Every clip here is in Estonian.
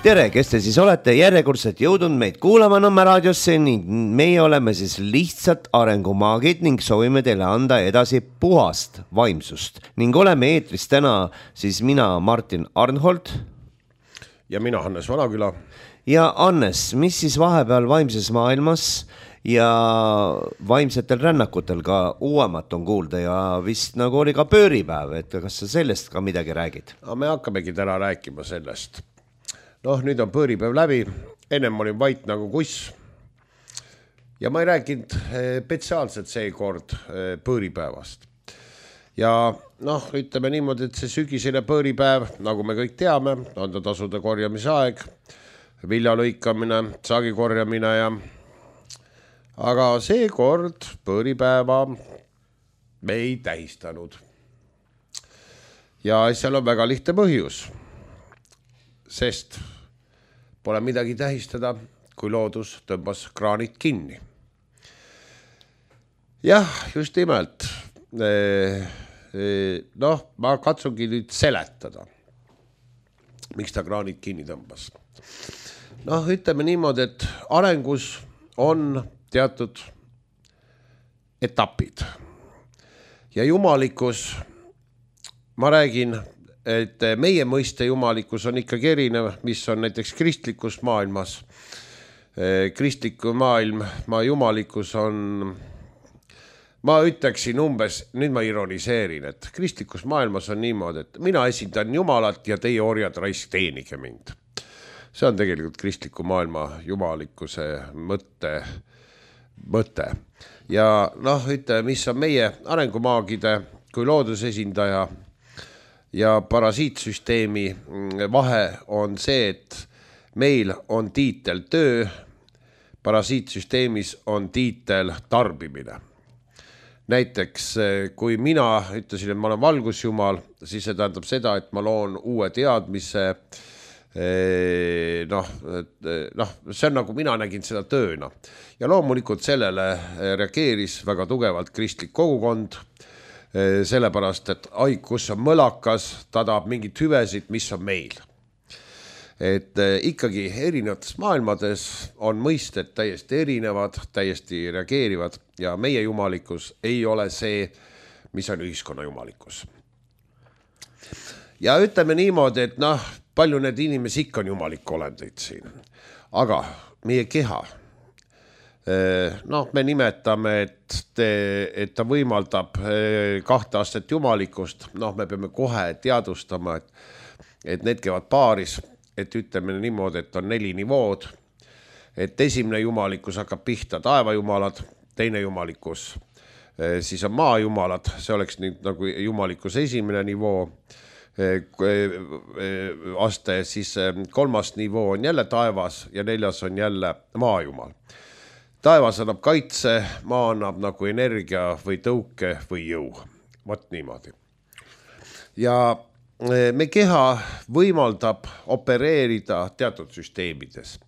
Tere, kes te siis olete järjekordselt jõudnud meid kuulama Nõmme raadiosse ning meie oleme siis lihtsalt arengumaagid ning soovime teile anda edasi puhast vaimsust. Ning oleme eetris täna siis mina, Martin Arnhold. Ja mina, Hannes Vanaküla. Ja Hannes, mis siis vahepeal vaimses maailmas ja vaimsetel rännakutel ka uuemat on kuulda ja vist nagu oli ka pööripäev, et kas sa sellest ka midagi räägid? Me hakkamegi täna rääkima sellest. Nüüd on pööripäev läbi, ennem olin vait nagu kuss ja ma ei rääkinud spetsiaalselt seekord pööripäevast. Ja ütleme niimoodi, et see sügisene pööripäev, nagu me kõik teame, on ta tasude korjamise aeg, vilja lõikamine, saagi korjamine ja aga seekord pööripäeva me ei tähistanud. Ja seal on väga lihtne põhjus, sest pole midagi tähistada, kui loodus tõmbas kraanid kinni. Jah, just nimelt. Ma katsungi nüüd seletada, miks ta kraanid kinni tõmbas. Ütleme niimoodi, et arengus on teatud etapid. Ja jumalikkus, ma räägin, et meie mõiste jumalikkus on ikkagi erinev, mis on näiteks kristlikus maailmas. Kristliku maailma jumalikkus on, ma ütleksin umbes, nüüd ma ironiseerin, et kristlikus maailmas on niimoodi, et mina esindan Jumalat ja teie orjad raisk teenige mind. See on tegelikult kristliku maailma jumalikkuse mõte. Ja ütleme, mis on meie arengumaagide kui loodusesindaja ja parasiitsüsteemi vahe on see, et meil on tiitel töö, parasiitsüsteemis on tiitel tarbimine. Näiteks, kui mina ütlesin, et ma olen valgusjumal, siis see tähendab seda, et ma loon uue teadmise, see on nagu mina nägin seda tööna. Ja loomulikult sellele reageeris väga tugevalt kristlik kogukond, sellepärast, et kus on mõlakas, ta tahab mingit hüvesid, mis on meil. Et ikkagi erinevates maailmades on mõisted täiesti erinevad, täiesti reageerivad ja meie jumalikkus ei ole see, mis on ühiskonna jumalikkus. Ja ütleme niimoodi, et palju need inimesi ikka on jumalik olendeid siin. Aga meie keha, me nimetame, et ta võimaldab 2 aastat jumalikkust. Me peame kohe teadvustama, et need käivad paaris, et ütleme niimoodi, et on 4 nivood. Et esimene jumalikkus hakkab pihta taevajumalad, teine jumalikkus, siis on maajumalad, see oleks nagu jumalikkus esimene nivoo, aste, siis 3. nivoo on jälle taevas ja 4. on jälle maajumal. Taevas annab kaitse, maa annab nagu energia või tõuke või jõu. Vot niimoodi. Ja me keha võimaldab opereerida teatud süsteemides.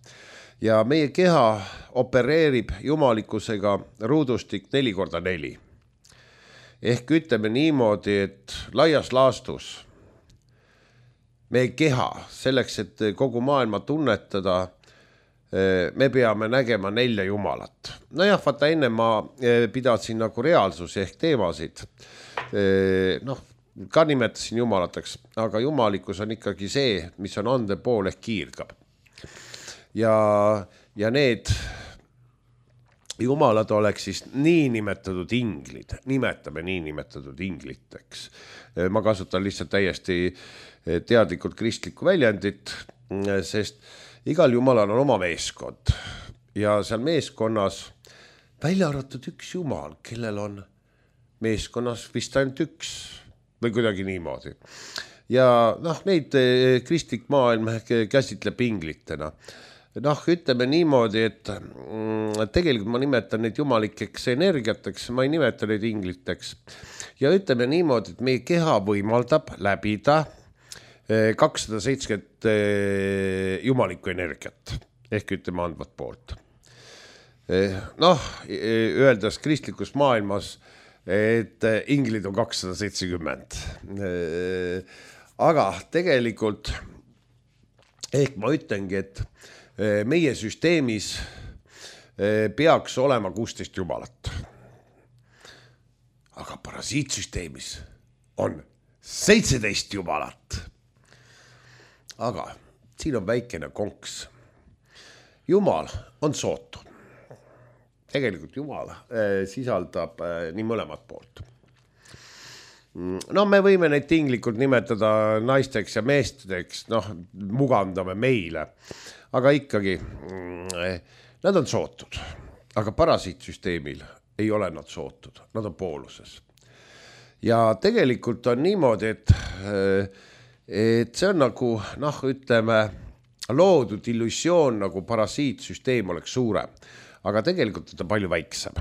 Ja meie keha opereerib jumalikkusega ruudustik 4x4. Ehk ütleme niimoodi, et laias laastus meie keha selleks, et kogu maailma tunnetada, me peame nägema 4 jumalat. Vaata enne ma pidasin nagu reaalsusi ehk teemasid. Ka nimetasin jumalateks, aga jumalikkus on ikkagi see, mis on ande pool ehk kiirgab. Ja need jumalad oleks siis niinimetatud inglid. Nimetame niinimetatud ingliteks. Ma kasutan lihtsalt täiesti teadlikult kristlikku väljendit, sest igal jumalal on oma meeskond ja seal meeskonnas välja arvatud üks jumal, kellel on meeskonnas vist ainult üks või kuidagi niimoodi. Ja neid kristlik maailm käsitleb inglitena. Ütleme niimoodi, et tegelikult ma nimetan neid jumalikeks energiateks, ma ei nimeta neid ingliteks. Ja ütleme niimoodi, et meie keha võimaldab läbida 270 jumalikku energiat, ehk ütleme andvat poolt. Öeldes kristlikus maailmas, et inglid on 270. Aga tegelikult ehk ma ütlengi, et meie süsteemis peaks olema 16 jumalat. Aga parasiitsüsteemis on 17 jumalat. Aga siin on väikene konks. Jumal on sootu. Tegelikult Jumal sisaldab nii mõlemat poolt. No me võime neid tinglikult nimetada naisteks ja meesteks, mugandame meile, aga ikkagi nad on sootud, aga parasiitsüsteemil ei ole nad sootud, nad on pooluses. Ja tegelikult on niimoodi, et see on nagu, ütleme, loodud illusioon, nagu parasiitsüsteem oleks suurem, aga tegelikult on ta palju väiksem.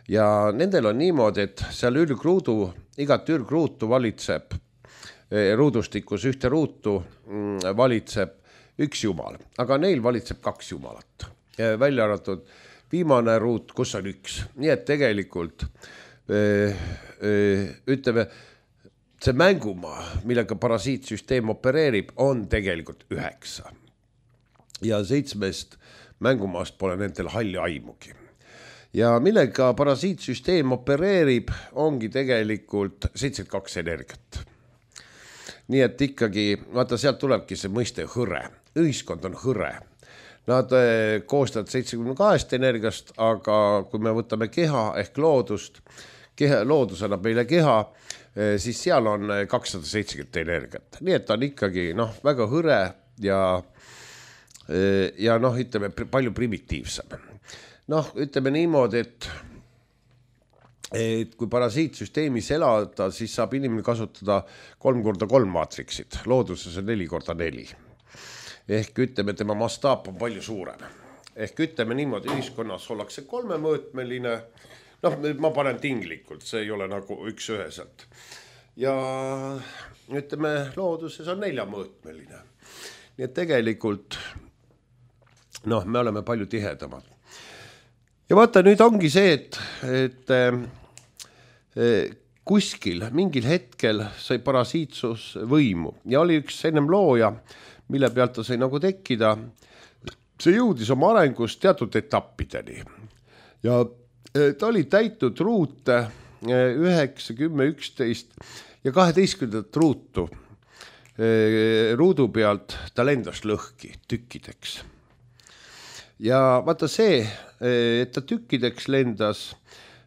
Ja nendel on niimoodi, et seal igat ürgruutu valitseb, ruudustikus ühte ruutu valitseb üks jumal, aga neil valitseb 2 jumalat. Välja arvatud viimane ruut, kus on 1. Nii et tegelikult, ütleme, see mängumaa, millega parasiitsüsteem opereerib, on tegelikult 9. Ja 7 mängumaast pole nendel halli aimugi. Ja millega parasiitsüsteem opereerib, ongi tegelikult 72 energiat. Nii et ikkagi, vaata, sealt tulebki see mõiste hõre. Ühiskond on hõre. Nad koostavad 72 energiast, aga kui me võtame keha ehk loodust, loodus annab meile keha, siis seal on 270 energiat. Nii et ta on ikkagi väga hõre ja ütleme, palju primitiivsem. Ütleme niimoodi, et kui parasiitsüsteemis elada, siis saab inimene kasutada 3x3 maatriksid. Looduses on 4x4. Ehk ütleme, tema mastaap on palju suurem. Ehk ütleme niimoodi, ühiskonnas ollakse 3-mõõtmeline. Ma panen tinglikult, see ei ole nagu üks-üheselt. Ja ütleme, looduses on 4-mõõtmeline. Nii et tegelikult me oleme palju tihedamad. Ja vaata, nüüd ongi see, et kuskil mingil hetkel sai parasiitsus võimu ja oli üks ennem looja, mille pealt ta sai nagu tekkida. See jõudis oma arengus teatud etappideni ja ta oli täitnud ruute 9, 10, 11 ja 12 ruutu ruudu pealt ta lendas lõhki tükkideks. Ja vaata see, et ta tükkideks lendas,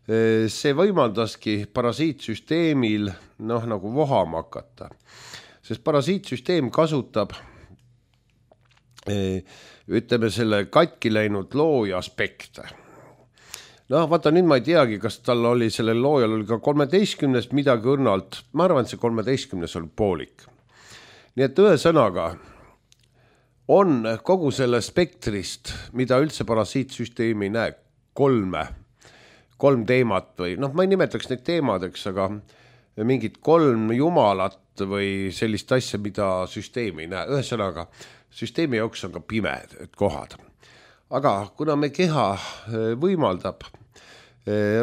see võimaldaski parasiitsüsteemil nagu vohama hakata. Sest parasiitsüsteem kasutab, ütleme, selle katki läinud looja aspekte. Vaata, nüüd ma ei teagi, kas tal oli, sellel loojal oli ka 13 midagi õrnalt. Ma arvan, et see 13 oli poolik. Nii et ühesõnaga on kogu selle spektrist, mida üldse parasiitsüsteemi ei näe, 3 teemat või, ma ei nimetaks neid teemadeks, aga mingid 3 jumalat või sellist asja, mida süsteemi ei näe. Ühesõnaga, süsteemi jaoks on ka pimed kohad. Aga kuna me keha võimaldab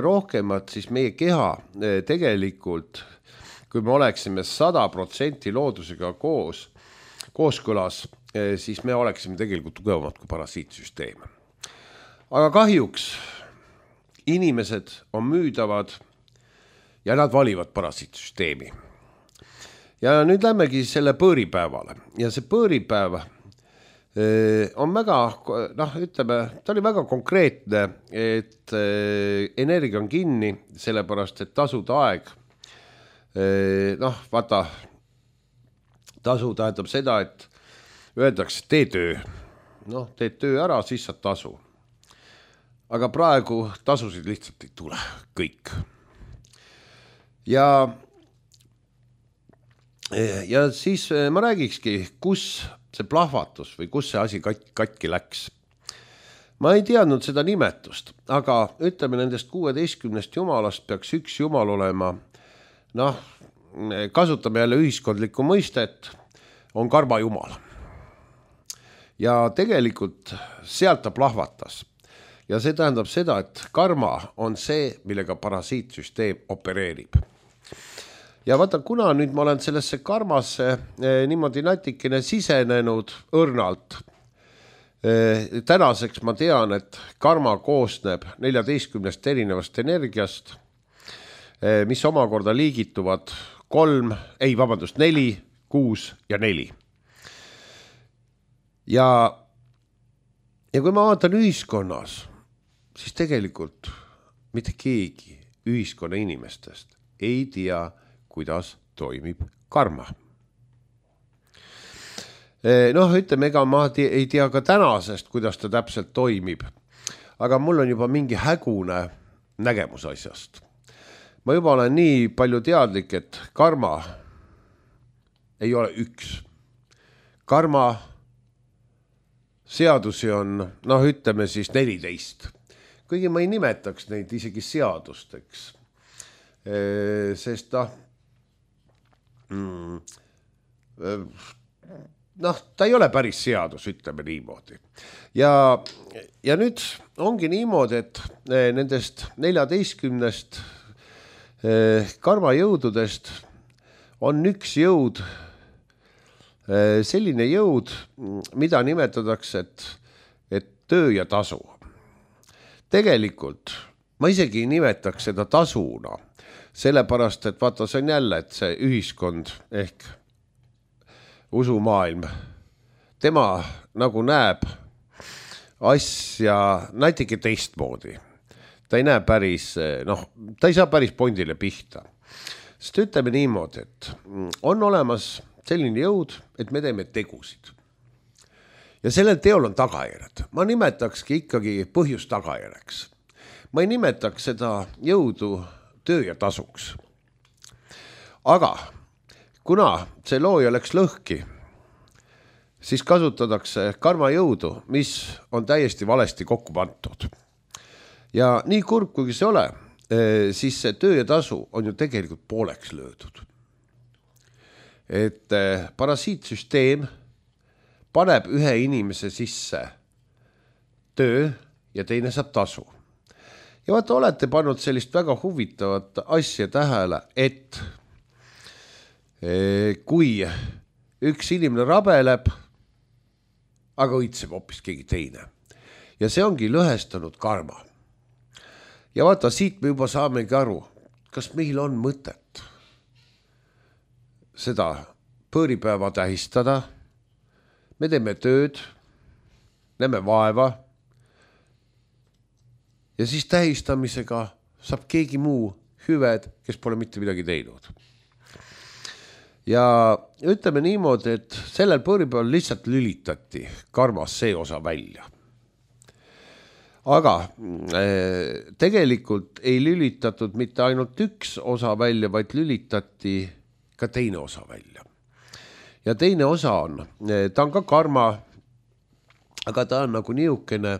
rohkemat, siis meie keha tegelikult, kui me oleksime 100% loodusega kooskõlas, siis me oleksime tegelikult tugevamad kui parasiitsüsteem. Aga kahjuks inimesed on müüdavad ja nad valivad parasiitsüsteemi. Ja nüüd lähmegi selle põõripäevale. Ja see põõripäev on väga, ütleme, ta oli väga konkreetne, et energia on kinni, sellepärast, et tasuda aeg. Vaata, tasu tähendab seda, et öeldakse, tee töö. Teed töö ära, siis saad tasu. Aga praegu tasusid lihtsalt ei tule, kõik. Ja siis ma räägikski, kus see plahvatus või kus see asi katki läks. Ma ei teadnud seda nimetust, aga ütleme, nendest 16 jumalast peaks üks jumal olema, kasutame jälle ühiskondlikku mõistet, on karma jumal. Ja tegelikult sealt ta plahvatas. Ja see tähendab seda, et karma on see, millega parasiitsüsteem opereerib. ja vaata, kuna nüüd ma olen sellesse karmasse niimoodi natikene sisenenud õrnalt, tänaseks ma tean, et karma koosneb 14 erinevast energiast, mis omakorda liigituvad 4, 6 ja 4. Ja kui ma vaatan ühiskonnas, siis tegelikult mitte keegi ühiskonna inimestest ei tea, kuidas toimib karma. Ütleme, ega ma ei tea ka tänasest, kuidas ta täpselt toimib, aga mul on juba mingi hägune nägemus asjast. Ma juba olen nii palju teadlik, et karma ei ole üks. Karma seadusi on, ütleme siis 14. Kuigi ma ei nimetaks neid isegi seadusteks, sest ta ei ole päris seadus, ütleme niimoodi. Ja nüüd ongi niimoodi, et nendest 14 karmajõududest on üks jõud, selline jõud, mida nimetatakse, et töö ja tasu. Tegelikult ma isegi ei nimetaks seda tasuna, sellepärast, et vaata, see on jälle, et see ühiskond ehk usumaailm, tema nagu näeb asja natuke teistmoodi. Ta ei näe päris, ta ei saa päris pondile pihta. Sest ütleme niimoodi, et on olemas selline jõud, et me teeme tegusid. Ja sellel teol on tagajärjed. Ma nimetakski ikkagi põhjus tagajärjeks. Ma ei nimetaks seda jõudu töö ja tasuks. Aga kuna see looja läks lõhki, siis kasutatakse karmajõudu, mis on täiesti valesti kokku pandud. Ja nii kurb, kuigi see ole, siis see töö ja tasu on ju tegelikult pooleks löödud. Et parasiitsüsteem paneb ühe inimese sisse töö ja teine saab tasu. Ja vaata, olete pannud sellist väga huvitavat asja tähele, et kui üks inimene rabeleb, aga õitseb hoopis keegi teine. Ja see ongi lõhestanud karma. Ja vaata, siit me juba saamegi aru, kas meil on mõtet seda pööripäeva tähistada. Me teeme tööd, näeme vaeva ja siis tähistamisega saab keegi muu hüved, kes pole mitte midagi teinud. Ja ütleme niimoodi, et sellel pööripäeval lihtsalt lülitati karmas see osa välja. Aga tegelikult ei lülitatud mitte ainult üks osa välja, vaid lülitati ka teine osa välja. Ja teine osa on, ta on ka karma, aga ta on nagu niisugune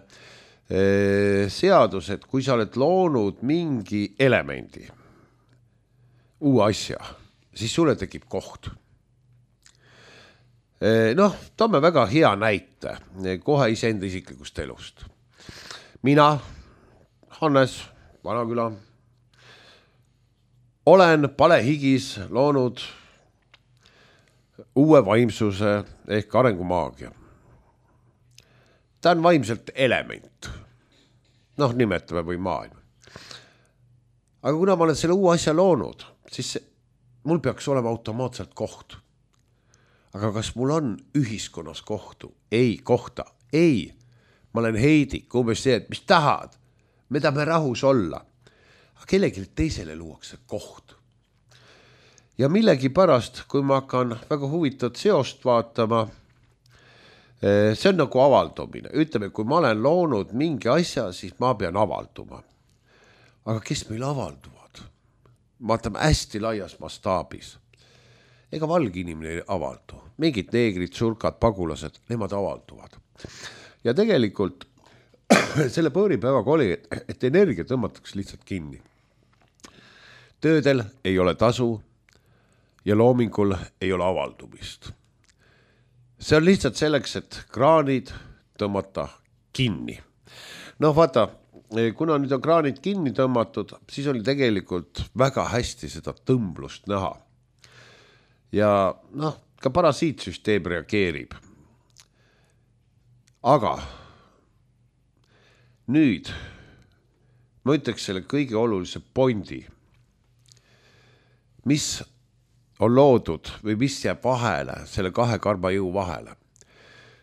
seadus, et kui sa oled loonud mingi elemendi, uue asja, siis sulle tekib koht. Toome väga hea näite kohe iseenda isiklikust elust. Mina, Hannes Vanaküla, olen palehigis loonud uue vaimsuse ehk arengumaagia. Ta on vaimselt element. Nimetame või maailm. Aga kuna ma olen selle uue asja loonud, siis mul peaks olema automaatselt koht. Aga kas mul on ühiskonnas kohta? Ei. Ma olen heidik, umbes see, et mis tahad? Me tahame rahus olla. Aga kellelegi teisele luuakse koht. Ja millegi pärast, kui ma hakkan väga huvitavat seost vaatama, see on nagu avaldumine. Ütleme, kui ma olen loonud mingi asja, siis ma pean avalduma. Aga kes meil avalduvad? Vaatame hästi laias mastaabis. Ega valge inimene ei avaldu. Mingid neegrid, surkad, pagulased, nemad avalduvad. Ja tegelikult selle pööripäevaga oli, et energia tõmmatakse lihtsalt kinni. Töödel ei ole tasu ja loomingul ei ole avaldumist. See on lihtsalt selleks, et kraanid tõmmata kinni. Vaata, kuna nüüd on kraanid kinni tõmmatud, siis oli tegelikult väga hästi seda tõmblust näha. ja noh, ka parasiitsüsteem reageerib. Aga nüüd ma ütleks selle kõige olulise pointi, mis on loodud või mis jääb vahele, selle kahe karmajõu vahele.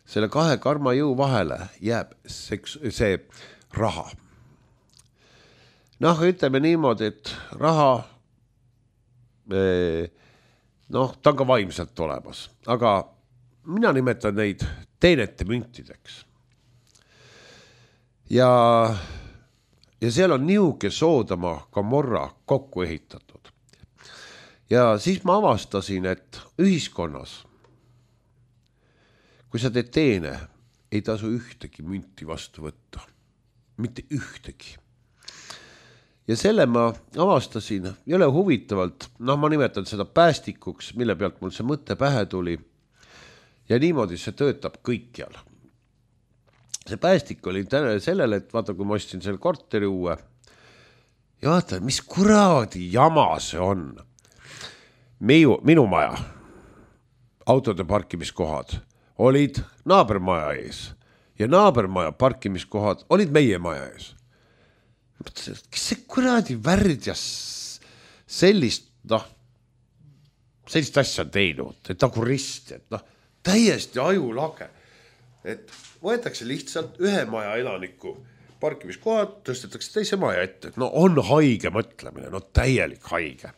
Selle kahe karmajõu vahele jääb see raha. Noh, ütleme niimoodi, et raha, noh, ta on ka vaimselt olemas, aga mina nimetan neid teenete müntideks. Ja seal on niuke Soodoma Gomorra kokku ehitatud. Ja siis ma avastasin, et ühiskonnas, kui sa teed teene, ei tasu ühtegi münti vastu võtta. Mitte ühtegi. Ja selle ma avastasin jälle huvitavalt, noh, ma nimetan seda päästikuks, mille pealt mul see mõte pähe tuli. Ja niimoodi see töötab kõikjal. See päästik oli sellele, et vaata, kui ma ostsin selle korteri uue, ja vaata, mis kuradi jama see on. Minu maja, autode parkimiskohad olid naabermaja ees ja naabermaja parkimiskohad olid meie maja ees. Kes see kuradi värd ja sellist asja on teinud, et nagu rist, et täiesti ajulage, et võetakse lihtsalt ühe maja elaniku parkimiskohad, tõstetakse teise maja ette, et on haige mõtlemine, täielik haige.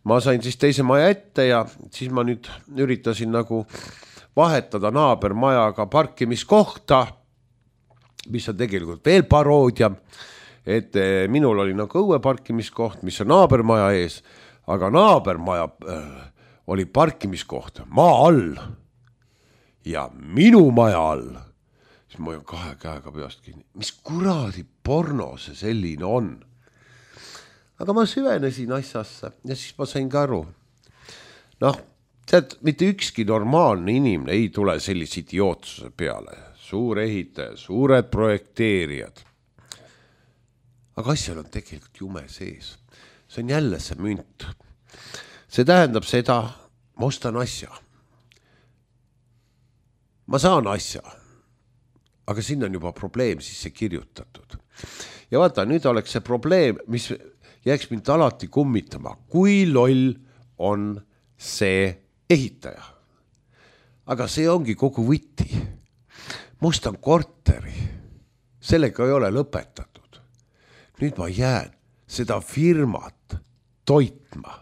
Ma sain siis teise maja ette ja siis ma nüüd üritasin nagu vahetada naabermajaga parkimiskohta, mis on tegelikult veel paroodia, et minul oli nagu õue parkimiskoht, mis on naabermaja ees, aga naabermaja oli parkimiskoht maa all ja minu maja all. Siis ma olen kahe käega peast kinni. Mis kuradi porno see selline on? Aga ma süvenesin asjasse ja siis ma sain ka aru. Tead, mitte ükski normaalne inimene ei tule sellise idiootsuse peale. Suur ehitaja, suured projekteerijad. Aga asjal on tegelikult jume sees. See on jälle see münt. See tähendab seda, ma ostan asja. Ma saan asja, aga sinna on juba probleem sisse kirjutatud. Ja vaata, nüüd oleks see probleem, mis jääks mind alati kummitama, kui loll on see ehitaja. Aga see ongi kogu võti. Must on korteri. Sellega ei ole lõpetatud. Nüüd ma jään seda firmat toitma,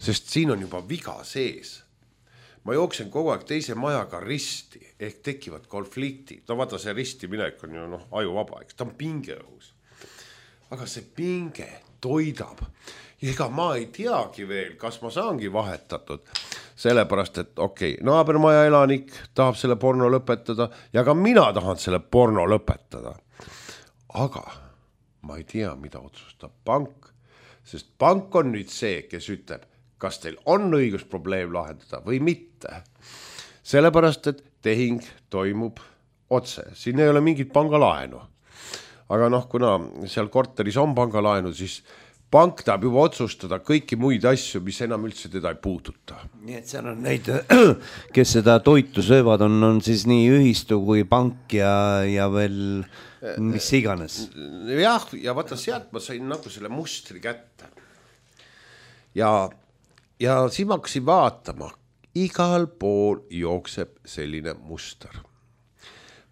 sest siin on juba viga sees. Ma jooksen kogu aeg teise majaga risti, ehk tekivad konfliktid. Vaata, see risti minek on ju ajuvaba, eks ta on pingeõhus. Aga see pinge toidab. Ja ega ma ei teagi veel, kas ma saangi vahetatud. Sellepärast, et naabermaja elanik tahab selle porno lõpetada ja ka mina tahan selle porno lõpetada. Aga ma ei tea, mida otsustab pank, sest pank on nüüd see, kes ütleb, kas teil on õigus probleem lahendada või mitte. Sellepärast, et tehing toimub otse. Siin ei ole mingit pangalaenu. Aga kuna seal korteris on pangalaenu, siis pank tahab juba otsustada kõiki muid asju, mis enam üldse teda ei puuduta. Nii et seal on neid, kes seda toitu söövad, on siis nii ühistu kui pank ja veel mis iganes. Jah, ja vaata sealt ma sain nagu selle mustri kätte. Ja siis ma hakkasin vaatama, igal pool jookseb selline muster.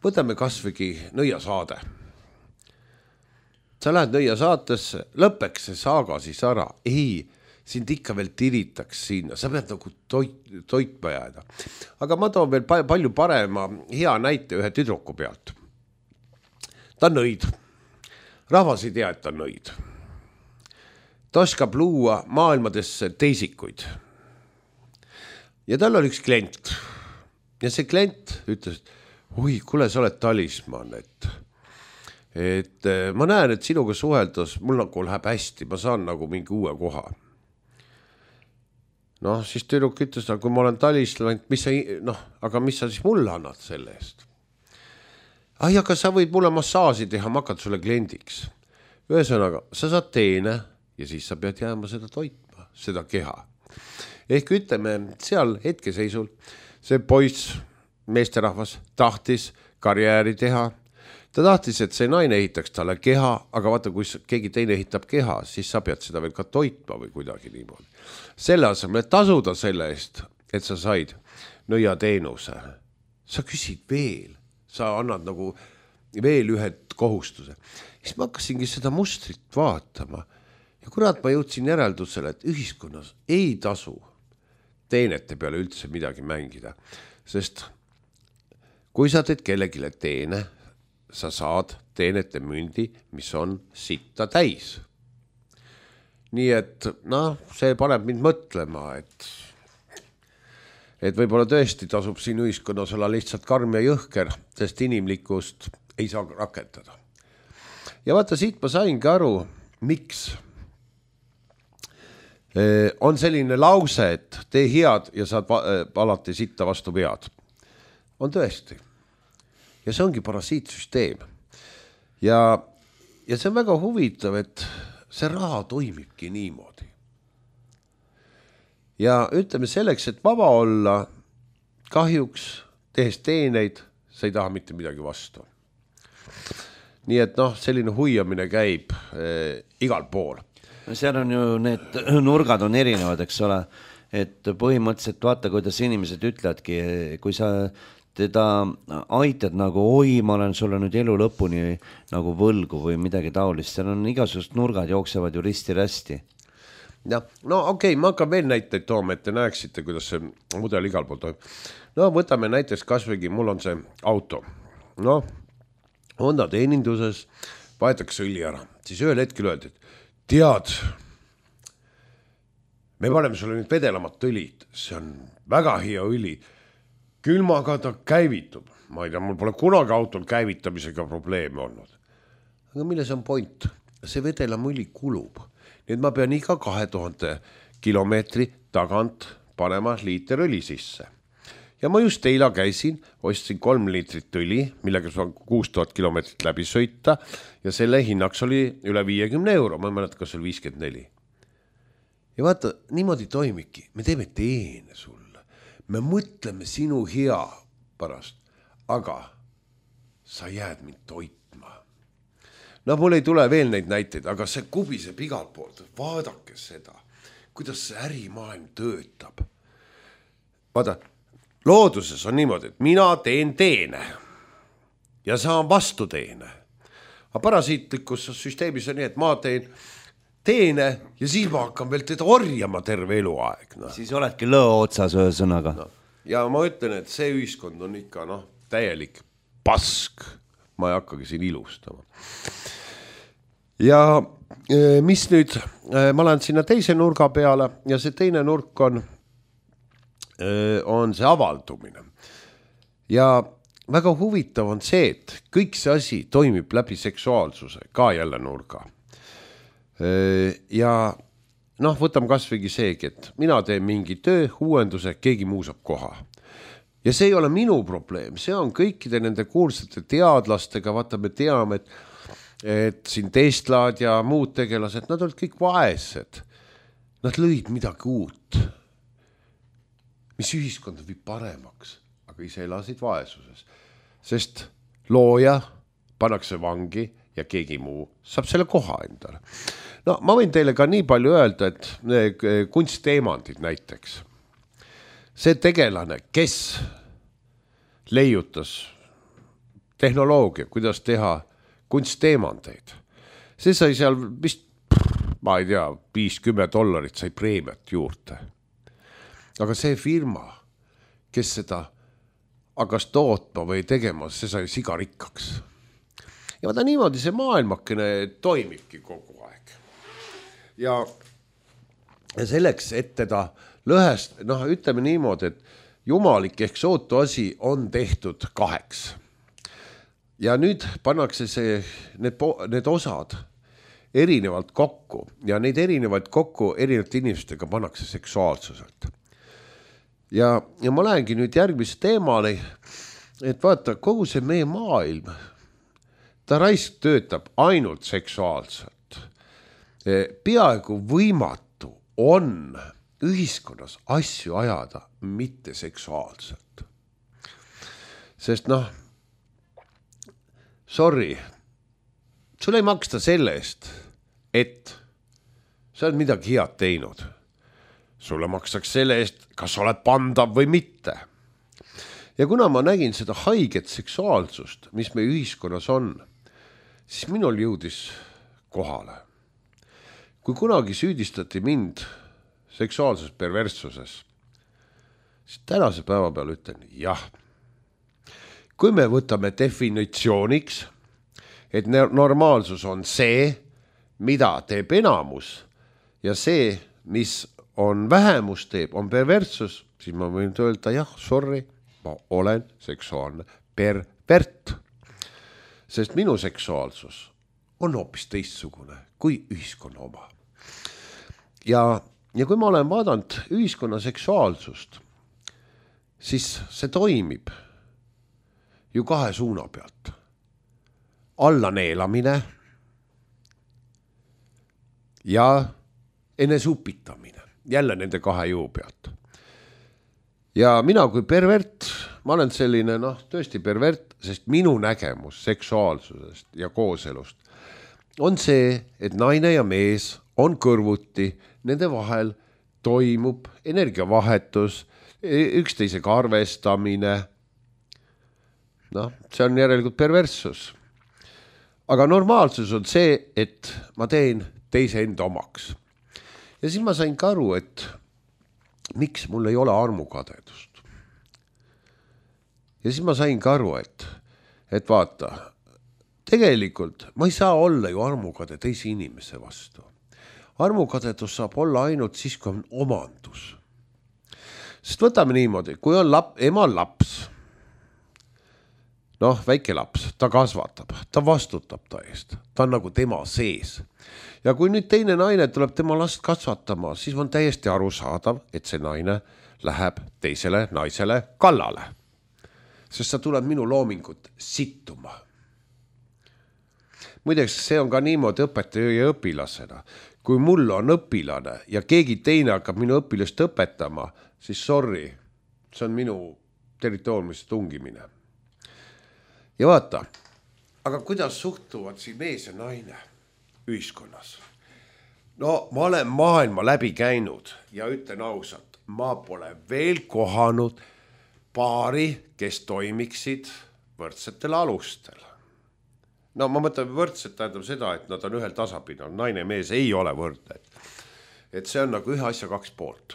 Võtame kasvõi Nõiasaade. Sa lähed Nõiasaatesse, lõpeks see saaga siis ära. Ei, sind ikka veel tiritaks sinna, sa pead nagu toitma jääda. Aga ma toon veel palju parema hea näite ühe tüdruku pealt. Ta on nõid. Rahvas ei tea, et ta on nõid. Ta oskab luua maailmadesse teisikuid. Ja tal oli üks klient. Ja see klient ütles, oi, kuule, sa oled talisman, et ma näen, et sinuga suheldes mul nagu läheb hästi, ma saan nagu mingi uue koha. Siis tüdruk ütles, kui ma olen talisman, aga mis sa siis mulle annad selle eest? Aga sa võid mulle massaaži teha, ma hakkan sulle kliendiks. Ühesõnaga, sa saad teene ja siis sa pead jääma seda toitma, seda keha. ehk ütleme seal hetkeseisul see poiss, meesterahvas tahtis karjääri teha. Ta tahtis, et see naine ehitaks talle keha, aga vaata, kui keegi teine ehitab keha, siis sa pead seda veel ka toitma või kuidagi niimoodi. Selle asemel, et tasuda selle eest, et sa said nõiateenuse, sa küsid veel, sa annad nagu veel ühe kohustuse. Siis ma hakkasingi seda mustrit vaatama ja kurat, ma jõudsin järeldusele, et ühiskonnas ei tasu teenete peale üldse midagi mängida, sest kui sa teed kellegile teene, sa saad teenete mündi, mis on sitta täis. Nii et see paneb mind mõtlema, et võib-olla tõesti tasub siin ühiskonnas olla lihtsalt karm ja jõhker, sest inimlikkust ei saa rakendada. Ja vaata, siit ma saingi aru, miks on selline lause, et tee head ja saad alati sitta vastu vead. On tõesti. Ja see ongi parasiitsüsteem. Ja see on väga huvitav, et see raha toimibki niimoodi. Ja ütleme selleks, et vaba olla, kahjuks tehes teeneid, sa ei taha mitte midagi vastu. Nii et selline huiamine käib igal pool. Seal on ju need nurgad on erinevad, eks ole, et põhimõtteliselt vaata, kuidas inimesed ütlevadki, kui sa teda aitad nagu, oi, ma olen sulle nüüd elu lõpuni nagu võlgu või midagi taolist. Seal on igasugust nurgad jooksevad ju risti-rästi. Ja, okei, ma hakkan veel näiteid tooma, et te näeksite, kuidas see mudel igal pool toimub. Võtame näiteks kasvõigi, mul on see auto. Honda teeninduses vaetakse õli ära. Siis ühel hetkel öeldi, et tead, me paneme sulle nüüd vedelamat õlid. See on väga hea õli. Külmaga ta käivitub. Ma ei tea, mul pole kunagi autol käivitamisega probleeme olnud. Aga milles on point? See vedelam õli kulub. Nii et ma pean iga 2000 kilomeetri tagant panema liiter õli sisse. Ja ma just eila käisin, ostsin 3 liitrit õli, millega saan 6000 kilomeetrit läbi sõita ja selle hinnaks oli üle 50 euro. Ma ei mäleta, kas oli 54. Ja vaata, niimoodi toimibki. Me teeme teene sulle. Me mõtleme sinu hea pärast, aga sa jääd mind toitma. Mul ei tule veel neid näiteid, aga see kubiseb igalt poolt. Vaadake seda, kuidas see ärimaailm töötab. Vaata, looduses on niimoodi, et mina teen teene ja saan vastu teene. Aga parasiitlikus süsteemis on nii, et ma teen teene ja siis ma hakkan veel teda orjama terve eluaeg. Siis oledki lõo otsas ühe sõnaga. Ja ma ütlen, et see ühiskond on ikka täielik pask. Ma ei hakkagi siin ilustama. Ja mis nüüd, ma lähen sinna teise nurga peale ja see teine nurk on see avaldumine. Ja väga huvitav on see, et kõik see asi toimib läbi seksuaalsuse, ka jälle nurga. Ja võtame kasvõigi seegi, et mina teen mingi töö, uuenduse, keegi muu saab koha. Ja see ei ole minu probleem, see on kõikide nende kuulsate teadlastega, vaata me teame, et siin Teslad ja muud tegelased, nad olid kõik vaesed. Nad lõid midagi uut, mis ühiskonda viib paremaks, aga ise elasid vaesuses. Sest looja pannakse vangi ja keegi muu saab selle koha endale. Ma võin teile ka nii palju öelda, et kunstteemandid näiteks. See tegelane, kes leiutas tehnoloogia, kuidas teha kunstteemandeid, see sai seal vist, ma ei tea, $50 sai preemiat juurde. Aga see firma, kes seda hakkas tootma või tegema, see sai sigarikkaks. Ja vaata niimoodi see maailmakene toimibki kogu aeg. Ja selleks, et teda lõhest, ütleme niimoodi, et jumalik ehk sootu asi on tehtud 2. Ja nüüd pannakse need osad erinevalt kokku ja neid erinevaid kokku erinevate inimestega pannakse seksuaalsuselt. Ja ma lähengi nüüd järgmise teemale, et vaata, kogu see meie maailm, ta raisk töötab ainult seksuaalselt. Peaaegu võimatu on ühiskonnas asju ajada mitte seksuaalselt. Sest sorry, sul ei maksta selle eest, et sa oled midagi head teinud. Sulle maksaks selle eest, kas oled pandav või mitte. Ja kuna ma nägin seda haiget seksuaalsust, mis meie ühiskonnas on, siis minul jõudis kohale. Kui kunagi süüdistati mind seksuaalses perverssuses, siis tänase päeva peal ütlen jah. Kui me võtame definitsiooniks, et normaalsus on see, mida teeb enamus ja see, mis on vähemus teeb, on perverssus, siis ma võin öelda jah, sorry, ma olen seksuaalne pervert. Sest minu seksuaalsus on hoopis teistsugune kui ühiskonna oma. Ja kui ma olen vaadanud ühiskonna seksuaalsust, siis see toimib ju 2 suuna pealt. Alla neelamine ja enesupitamine. Jälle nende 2 jõu pealt. Ja mina kui pervert, ma olen selline, tõesti pervert, sest minu nägemus seksuaalsusest ja kooselust on see, et naine ja mees on kõrvuti, nende vahel toimub energiavahetus, üksteisega arvestamine. See on järelikult perverssus. Aga normaalsus on see, et ma teen teise enda omaks. Ja siis ma sain ka aru, et miks mul ei ole armukadedust. Ja siis ma sain ka aru, et vaata, tegelikult ma ei saa olla ju armukade teise inimese vastu. Armukadedus saab olla ainult siis, kui on omandus. Sest võtame niimoodi, kui on emal laps, väike laps, ta kasvatab, ta vastutab ta eest, ta on nagu tema sees. Ja kui nüüd teine naine tuleb tema last kasvatama, siis on täiesti arusaadav, et see naine läheb teisele naisele kallale. Sest sa tuleb minu loomingut sittuma. Muideks, see on ka niimoodi õpetaja ja õpilasena. Kui mul on õpilane ja keegi teine hakkab minu õpilast õpetama, siis sorry, see on minu territooriumisse tungimine. Ja vaata, aga kuidas suhtuvad siin mees ja naine ühiskonnas? Ma olen maailma läbi käinud ja ütlen ausalt, ma pole veel kohanud paari, kes toimiksid võrdsetel alustel. Ma mõtlen võrdset tähendab seda, et nad on ühel tasapidal, naine ja mees ei ole võrdne. Et see on nagu ühe asja 2 poolt.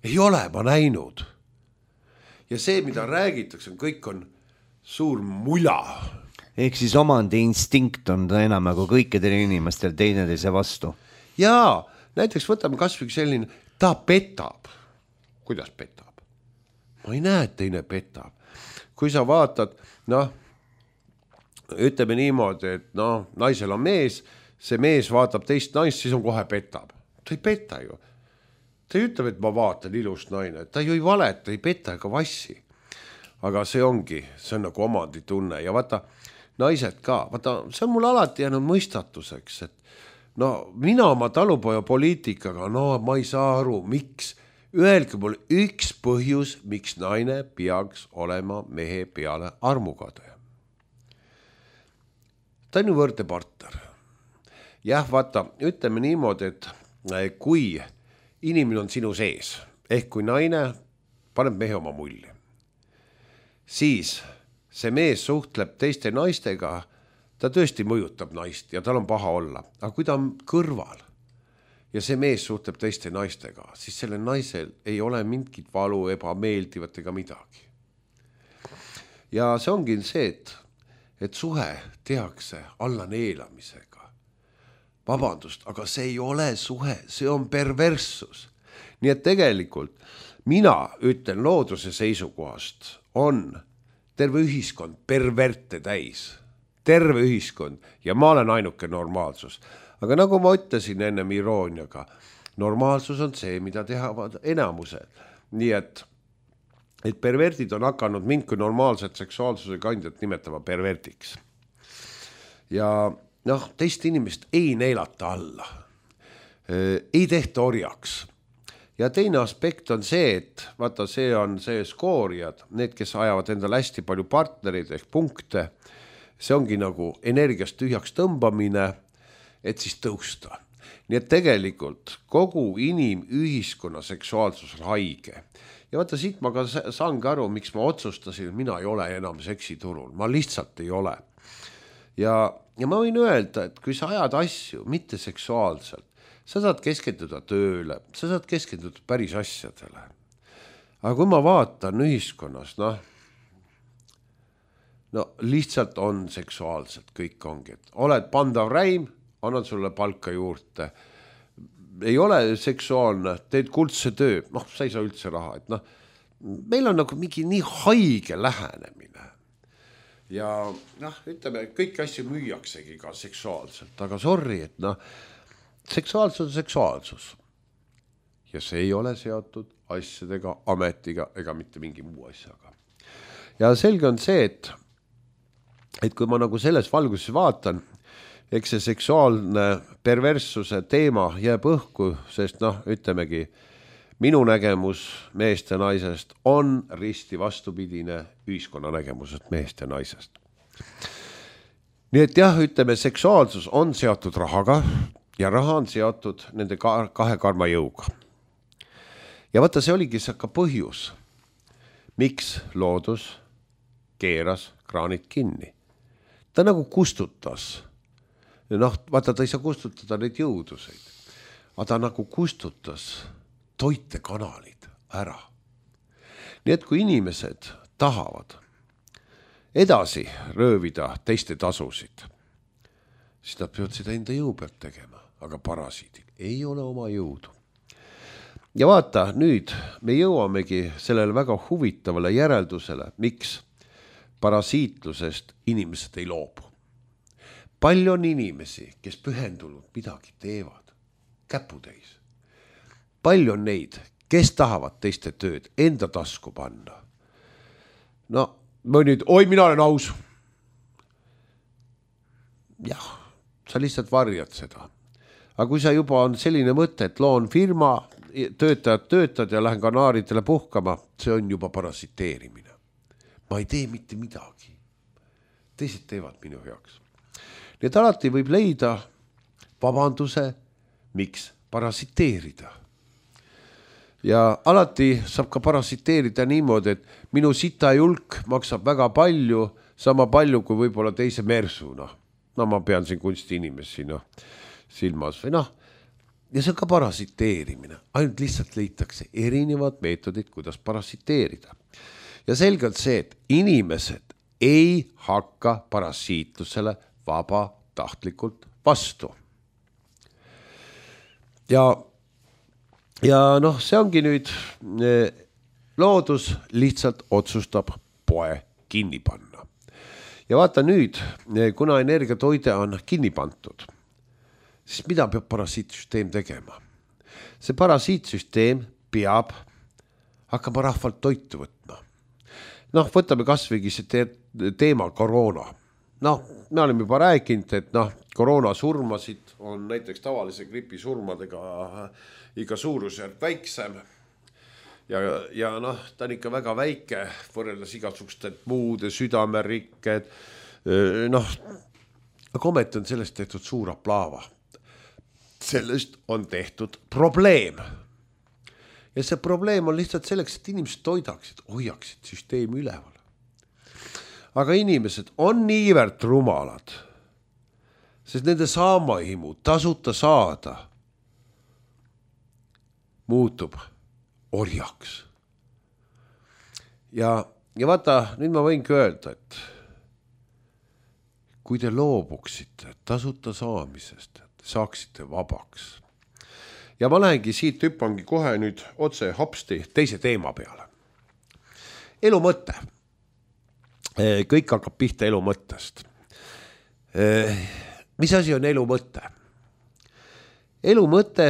Ei ole ma näinud. Ja see, mida räägitakse, kõik on suur mula. Ehk siis omandi instinkt on ta enam nagu kõikidel inimestel teineteise vastu. Jaa, näiteks võtame kas või selline, ta petab. Kuidas petab? Ma ei näe, et teine petab. Kui sa vaatad, ütleme niimoodi, et naisel on mees, see mees vaatab teist naist, siis on kohe petab. Ta ei peta ju. Ta ei ütleb, et ma vaatan ilus naine. Ta ju ei valeta, ei peta ega vassi. Aga see on nagu omanditunne ja vaata, naised ka, see on mul alati jäänud mõistatuseks, et mina oma talupoja poliitikaga, ma ei saa aru, miks, öelge mul üks põhjus, miks naine peaks olema mehe peale armukade. Ta on ju võrdne partner. Jah, vaata, ütleme niimoodi, et kui inimene on sinu sees, ehk kui naine paneb mehe oma mulli, siis see mees suhtleb teiste naistega, ta tõesti mõjutab naist ja tal on paha olla. Aga kui ta on kõrval ja see mees suhtleb teiste naistega, siis sellel naisel ei ole mingit valu, ebameeldivat ega midagi. Ja see ongi see, et suhe tehakse alla neelamisega. Vabandust, aga see ei ole suhe, see on perverssus. Nii et tegelikult mina ütlen looduse seisukohast on terve ühiskond perverte täis. Terve ühiskond ja ma olen ainuke normaalsus. Aga nagu ma ütlesin ennem irooniaga, normaalsus on see, mida tehavad enamused. Nii et pervertid on hakanud mind kui normaalset seksuaalsuse kandjat nimetama pervertiks. Ja teist inimest ei neelata alla. Ei tehta orjaks. ja teine aspekt on see, et vaata, see on see skoorijad, need, kes ajavad endale hästi palju partnereid ehk punkte, see ongi nagu energiast tühjaks tõmbamine, et siis tõusta. Nii et tegelikult kogu inimühiskonna seksuaalsus on haige. Ja vaata, siit ma ka saangi aru, miks ma otsustasin, mina ei ole enam seksiturul, ma lihtsalt ei ole. Ja ma võin öelda, et kui sa ajad asju mitte seksuaalselt, sa saad keskenduda tööle, sa saad keskenduda päris asjadele. Aga kui ma vaatan ühiskonnas, no lihtsalt on seksuaalselt, kõik ongi, et oled pandav räim, annad sulle palka juurde, ei ole seksuaalne, teed kuldse töö, sa ei saa üldse raha, et meil on nagu mingi nii haige lähenemine. Ja ütleme, kõik asju müüaksegi ka seksuaalselt, aga sorry, et seksuaalsus on seksuaalsus. Ja see ei ole seotud asjadega, ametiga ega mitte mingi muu asjaga. Ja selge on see, et kui ma nagu selles valguses vaatan, eks see seksuaalne perverssuse teema jääb õhku, sest ütlemegi, minu nägemus meest ja naisest on risti vastupidine ühiskonna nägemusest meest ja naisest. Nii et jah, ütleme, seksuaalsus on seotud rahaga ja raha on seotud nende kahe karmajõuga. Ja vaata, see oligi see ka põhjus, miks loodus keeras kraanid kinni. Ta nagu kustutas. Vaata, ta ei saa kustutada neid jõuduseid, aga ta nagu kustutas toitekanalid ära. Nii et kui inimesed tahavad edasi röövida teiste tasusid, siis nad peavad seda enda jõu pealt tegema, aga parasiidil ei ole oma jõudu. Ja vaata, nüüd me jõuamegi sellele väga huvitavale järeldusele, miks parasiitlusest inimesed ei loobu. Palju on inimesi, kes pühendunud midagi teevad, käputäis. Palju on neid, kes tahavad teiste tööd enda tasku panna. Mina olen aus. Jah, sa lihtsalt varjad seda. Aga kui sa juba on selline mõte, et loon firma, töötad ja lähen kanaaridele puhkama, see on juba parasiteerimine. Ma ei tee mitte midagi. Teised teevad minu heaks. Nii et alati võib leida vabanduse, miks parasiteerida. Ja alati saab ka parasiteerida niimoodi, et minu sita julk maksab väga palju, sama palju kui võib-olla teise mersuna. Ma pean siin kunsti inimesi silmas või Ja see on ka parasiteerimine. Ainult lihtsalt leitakse erinevad meetodid, kuidas parasiteerida. Ja selgelt see, et inimesed ei hakka parasiitlusele vabatahtlikult vastu. Ja see ongi nüüd, loodus lihtsalt otsustab poe kinni panna. Ja vaata nüüd, kuna energiatoide on kinni pandud, siis mida peab parasiitsüsteem tegema? See parasiitsüsteem peab hakkama rahvalt toitu võtma. Võtame kasvõigi see teema koroona. Me oleme juba rääkinud, et koroona surmasid on näiteks tavalise gripi surmadega iga suurusjärk väiksem. Ja ta on ikka väga väike, võrreldes igasuguste muude südamerikked. Aga ometi on sellest tehtud suur aplaava. Sellest on tehtud probleem. Ja see probleem on lihtsalt selleks, et inimesed toidaksid, hoiaksid süsteemi üleval. Aga inimesed on niivõrd rumalad, sest nende saamahimu tasuta saada muutub orjaks. Ja vaata, nüüd ma võingi öelda, et kui te loobuksite tasuta saamisest, saaksite vabaks. Ja ma lähengi siit hüppangi kohe nüüd otse hopsti teise teema peale. Elu mõte. Kõik hakkab pihta elu mõttest. Mis asi on elu mõte? Elu mõte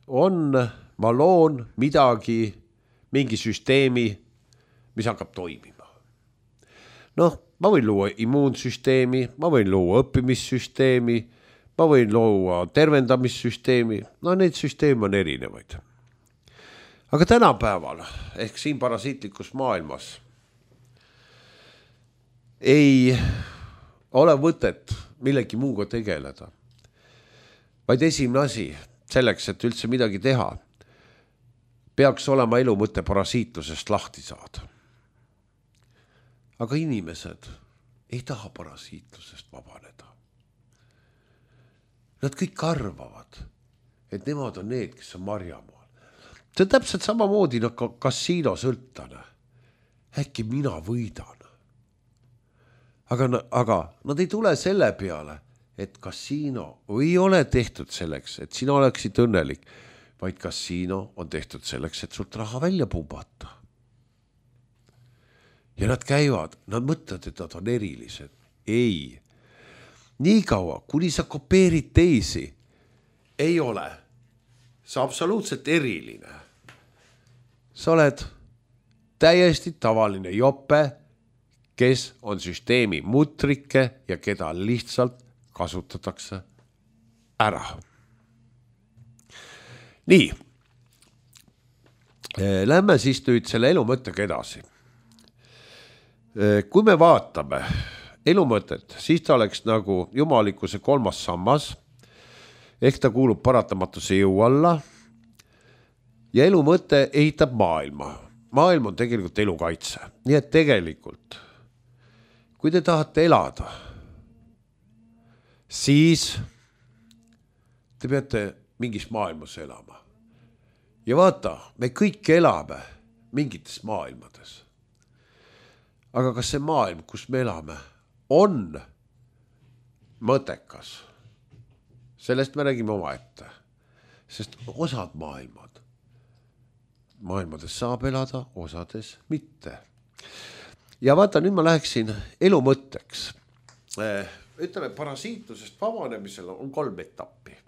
on, ma loon midagi, mingi süsteemi, mis hakkab toimima. Ma võin luua immuunsüsteemi, ma võin luua õppimissüsteemi, ma võin luua tervendamissüsteemi, need süsteem on erinevaid. aga tänapäeval ehk siin parasiitlikus maailmas ei ole võtet millegi muuga tegeleda, vaid esimene asi selleks, et üldse midagi teha, peaks olema elu mõte parasiitlusest lahti saada. Aga inimesed ei taha parasiitlusest vabaneda. Nad kõik arvavad, et nemad on need, kes on marjamaal. See on täpselt samamoodi nagu kasiinosõltlane. Äkki mina võidan. Aga nad ei tule selle peale, et kasiino ei ole tehtud selleks, et sina oleksid õnnelik, vaid kasiino on tehtud selleks, et sult raha välja pumbata. Ja nad käivad, nad mõtlevad, et nad on erilised. Ei. Nii kaua, kuni sa kopeerid teisi, ei ole. Sa absoluutselt eriline. Sa oled täiesti tavaline jope, kes on süsteemi mutrike ja keda lihtsalt kasutatakse ära. Nii. Lähme siis nüüd selle elu mõttega edasi. Kui me vaatame elu mõtet, siis ta oleks nagu jumalikkuse 3. sammas, ehk ta kuulub paratamatuse jõu alla ja elu mõte ehitab maailma. Maailm on tegelikult elukaitse. Nii et tegelikult, kui te tahate elada, siis te peate mingis maailmas elama. Ja vaata, me kõik elame mingites maailmades. Aga kas see maailm, kus me elame, on mõttekas? Sellest me räägime omaette. Sest osad maailmades saab elada, osades mitte. Ja vaata, nüüd ma läheksin elu mõtteks. Ütleme, parasiitlusest vabanemisel on 3 etappi.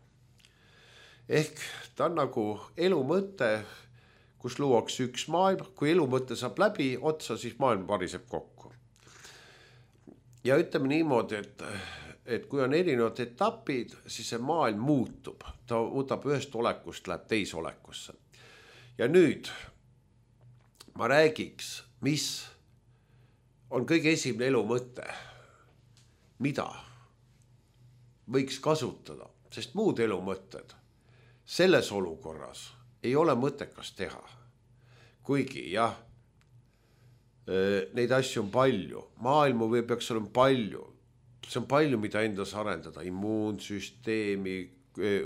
Ehk ta on nagu elu mõte, kus luuakse üks maailm, kui elu mõte saab läbi otsa, siis maailm variseb kokku. Ja ütleme niimoodi, et kui on erinevad etapid, siis see maailm muutub. Ta võtab ühest olekust, läheb teise olekusse. Ja nüüd ma räägiks, mis on kõige esimene elu mõte, mida võiks kasutada, sest muud elu mõtted selles olukorras ei ole mõttekas teha. Kuigi jah, neid asju on palju. Maailmu peaks olema palju. See on palju, mida endas arendada. Immuunsüsteemi,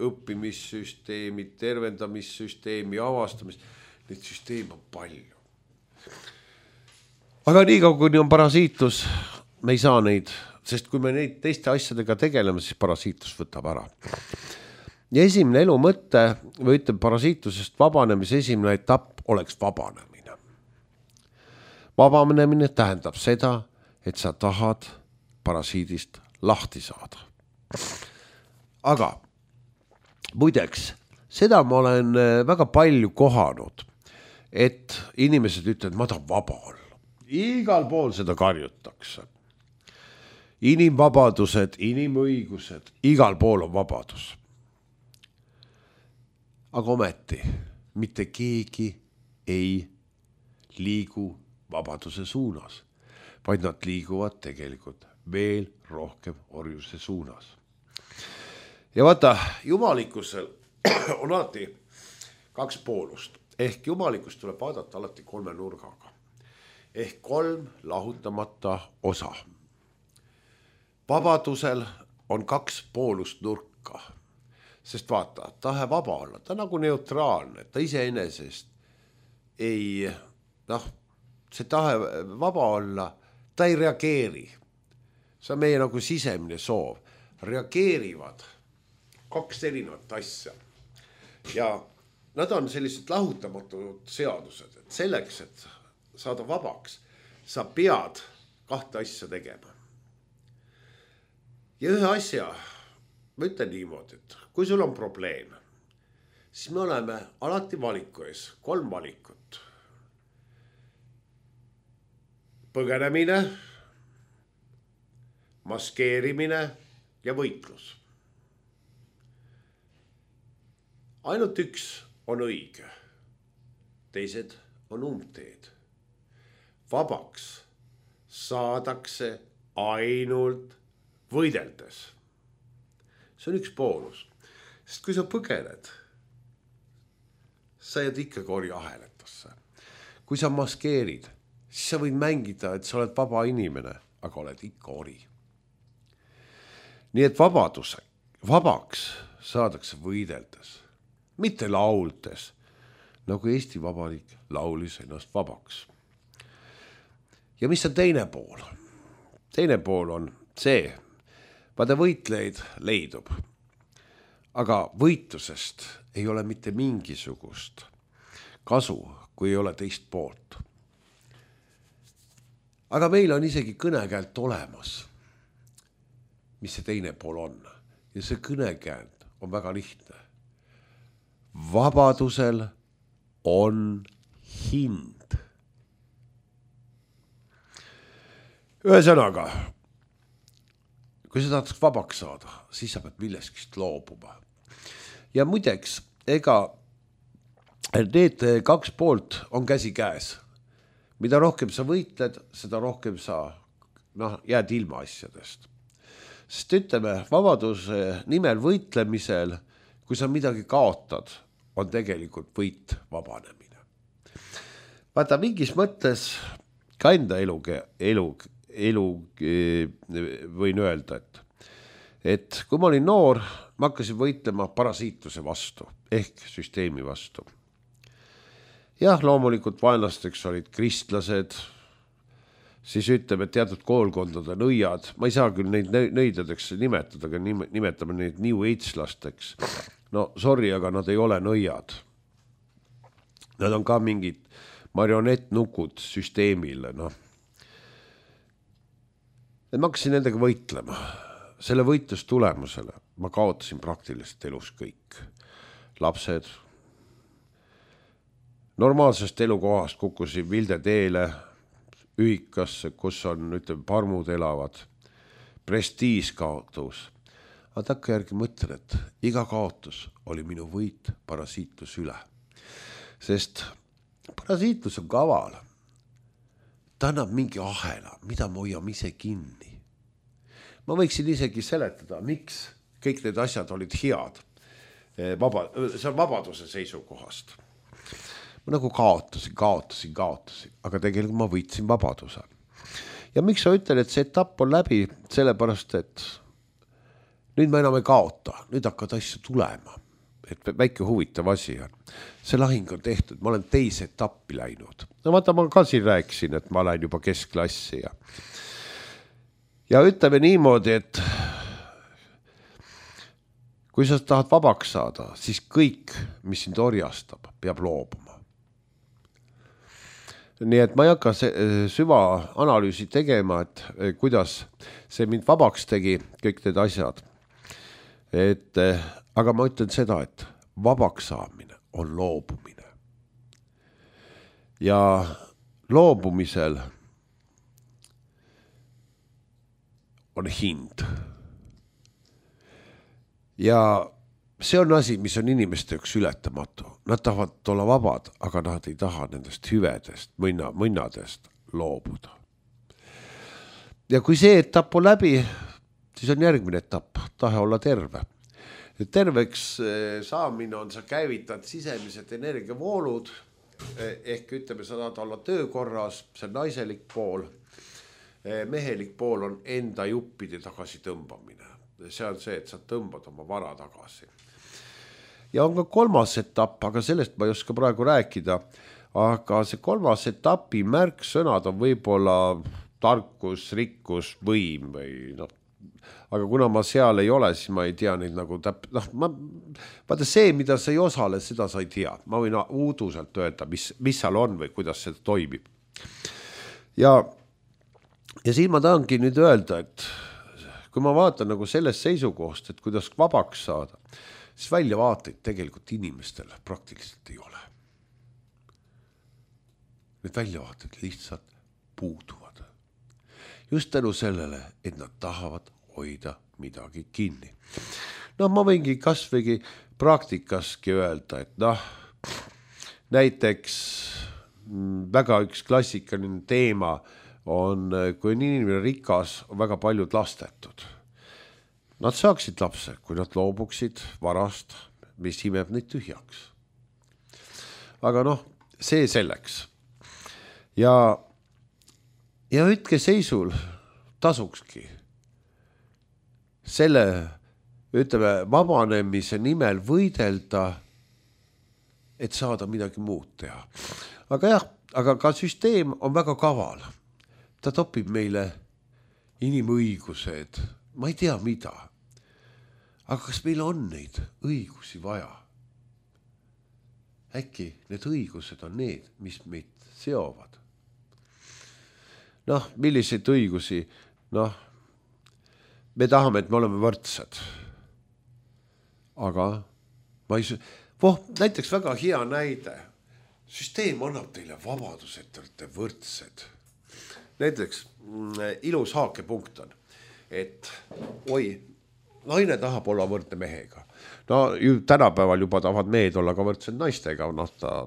õppimissüsteemi, tervendamissüsteemi, avastamist. Neid süsteeme on palju. Aga nii kaua, kui on parasiitus, me ei saa neid, sest kui me neid teiste asjadega tegeleme, siis parasiitus võtab ära. Ja esimene elu mõte, või ütleme parasiitlusest vabanemise esimene etapp oleks vabanemine. Vabanemine tähendab seda, et sa tahad parasiidist lahti saada. Aga muideks, seda ma olen väga palju kohanud, et inimesed ütlevad, ma tahan vaba olla. Igal pool seda karjutakse. Inimvabadused, inimõigused, igal pool on vabadus. Aga ometi mitte keegi ei liigu vabaduse suunas, vaid nad liiguvad tegelikult veel rohkem orjuse suunas. Ja vaata, jumalikkusel on alati 2 poolust. Ehk jumalikkust tuleb vaadata alati 3 nurgaga. Ehk 3 lahutamata osa. Vabadusel on 2 poolust nurka. Sest vaata, tahe vaba olla, ta nagu neutraalne, ta iseenesest ei, see tahe vaba olla, ta ei reageeri. See on meie nagu sisemine soov. Reageerivad 2 erinevat asja. Ja nad on sellised lahutamatud seadused, et selleks, et saada vabaks, sa pead 2 asja tegema. Ja ühe asja, ma ütlen niimoodi, et kui sul on probleem, siis me oleme alati valiku ees, 3 valikut. Põgenemine, maskeerimine ja võitlus. Ainult üks on õige. teised on umbteed. Vabaks saadakse ainult võideldes. See on üks poolus. Sest kui sa põgened, sa jääd ikkagi orjaheletasse. Kui sa maskeerid, siis sa võid mängida, et sa oled vaba inimene, aga oled ikka ori. Nii et vabaks saadakse võideldes, mitte lauldes, nagu Eesti Vabariik laulis ennast vabaks. Ja mis on teine pool? Teine pool on see, vaata võitleid leidub, aga võitlusest ei ole mitte mingisugust kasu, kui ei ole teist poolt. Aga meil on isegi kõnekäelt olemas, mis see teine pool on. Ja see kõnekäelt on väga lihtne. Vabadusel on hind. Ühesõnaga, kui sa tahad vabaks saada, siis sa pead milleskist loobuma. Ja muideks, ega need kaks poolt on käsi käes. Mida rohkem sa võitled, seda rohkem sa jääd ilma asjadest. Sest ütleme, vabaduse nimel võitlemisel, kui sa midagi kaotad, on tegelikult võit vabanemine. Vaata, mingis mõttes ka enda elu võin öelda, et kui ma olin noor, ma hakkasin võitlema parasiitluse vastu ehk süsteemi vastu. Jah, loomulikult vaenlasteks olid kristlased, siis ütleme, et teatud koolkondade nõiad, ma ei saa küll neid nõidadeks nimetada, aga nimetame neid New Age-lasteks. No sorry, aga nad ei ole nõiad. Nad on ka mingid marionettnukud süsteemile. Ma hakkasin nendega võitlema. Selle võitlustulemusele ma kaotasin praktiliselt elus kõik. Lapsed. Normaalsest elukohast kukkusin Vilde teele, ühikasse, kus on, parmud elavad. Prestiis kaotus. Aga takka järgi mõtlen, et iga kaotus oli minu võit parasiitlus üle. Sest parasiitlus on kaval. Ta annab mingi ahela, mida ma hoiame ise kinni. Ma võiksin isegi seletada, miks kõik need asjad olid head. See on vabaduse seisukohast. Ma nagu kaotasin, aga tegelikult ma võitsin vabaduse. Ja miks sa ütlen, et see etapp on läbi, sellepärast, et nüüd ma enam ei kaota, nüüd hakkad asju tulema. Et väike huvitav asi on. See lahing on tehtud, ma olen teise etappi läinud. No vaata, ma ka siin rääkisin, et ma lähen juba keskklassi. Ja ütleme niimoodi, et kui sa tahad vabaks saada, siis kõik, mis sind orjastab, peab loobuma. Nii et ma ei hakka süva analüüsi tegema, et kuidas see mind vabaks tegi, kõik need asjad. Aga ma ütlen seda, et vabaks saamine on loobumine. Ja loobumisel on hind. Ja see on asi, mis on inimeste üks ületamatu. Nad tahavad olla vabad, aga nad ei taha nendest hüvedest, mõnnadest loobuda. Ja kui see etapp on läbi, siis on järgmine etapp, tahe olla terve. Terveks saamine on, sa käivitad sisemised energiavoolud, ehk ütleme, sa tahad olla töökorras, see on naiselik pool, mehelik pool on enda juppide tagasi tõmbamine. See on see, et sa tõmbad oma vara tagasi. Ja on ka kolmas etapp, aga sellest ma ei oska praegu rääkida, aga see kolmas etapi märksõnad on võib-olla tarkus, rikkus, võim või aga kuna ma seal ei ole, siis ma ei tea neid nagu vaata see, mida sa ei osale, seda sa ei tea. Ma võin uuduselt öelda, mis seal on või kuidas see toimib. Ja siin ma tahangi nüüd öelda, et kui ma vaatan nagu sellest seisukohast, et kuidas vabaks saada, siis väljavaateid tegelikult inimestele praktiliselt ei ole. Need väljavaated lihtsalt puuduvad. Just tänu sellele, et nad tahavad hoida midagi kinni. Ma võingi kasvõigi praktikaski öelda, et näiteks väga üks klassikaline teema on, kui on inimene rikas, on väga paljud lastetud. Nad saaksid lapse, kui nad loobuksid varast, mis imeb neid tühjaks. Aga noh, see selleks. Ja hetkeseisul tasukski selle, ütleme, vabanemise nimel võidelda, et saada midagi muud teha. Aga jah, aga ka süsteem on väga kaval. Ta topib meile inimõigused, ma ei tea mida. Aga kas meil on neid õigusi vaja? Äkki need õigused on need, mis meid seovad? Noh, milliseid õigusi? Noh, me tahame, et me oleme võrdsed. Aga ma ei... näiteks väga hea näide. Süsteem annab teile vabadus, et te olete võrdsed. Näiteks ilus haakepunkt on, et naine tahab olla võrdne mehega. No tänapäeval juba tahavad mehed olla ka võrdsed naistega, noh ta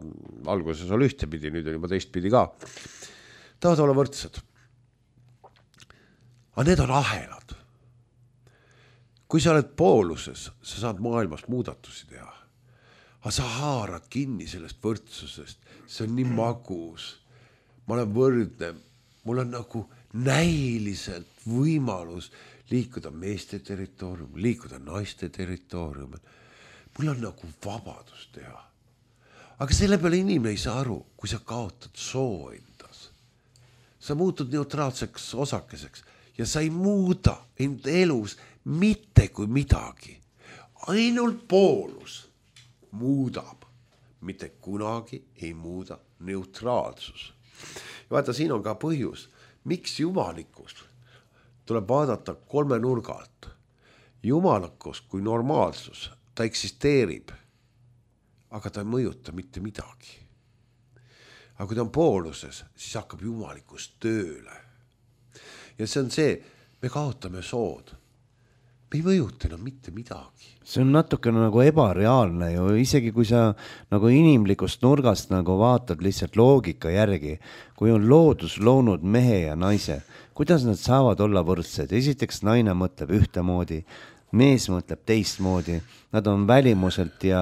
alguses oli ühtepidi, nüüd on juba teistpidi ka. Tahavad olla võrdsed. Aga need on ahelad. Kui sa oled pooluses, sa saad maailmas muudatusi teha. Aga sa haarad kinni sellest võrdsusest. See on nii magus. Ma olen võrdne. Mul on nagu näiliselt võimalus liikuda meeste territooriumil, liikuda naiste territooriumil. Mul on nagu vabadus teha. Aga selle peale inimene ei saa aru, kui sa kaotad soo endas. Sa muutud neutraalseks osakeseks ja sa ei muuda end elus mitte kui midagi. Ainult poolus muudab, mitte kunagi ei muuda neutraalsus. Ja vaata, siin on ka põhjus, miks jumalikkus tuleb vaadata 3 nurga alt. Jumalikkus kui normaalsus, ta eksisteerib, aga ta ei mõjuta mitte midagi. Aga kui ta on pooluses, siis hakkab jumalikkus tööle. Ja see on see, me kaotame sood. Me ei mõjuta enam mitte midagi. See on natukene nagu ebareaalne ju, isegi kui sa nagu inimlikust nurgast nagu vaatad lihtsalt loogika järgi, kui on loodus loonud mehe ja naise, kuidas nad saavad olla võrdsed? Esiteks naine mõtleb ühtemoodi, mees mõtleb teistmoodi, nad on välimuselt ja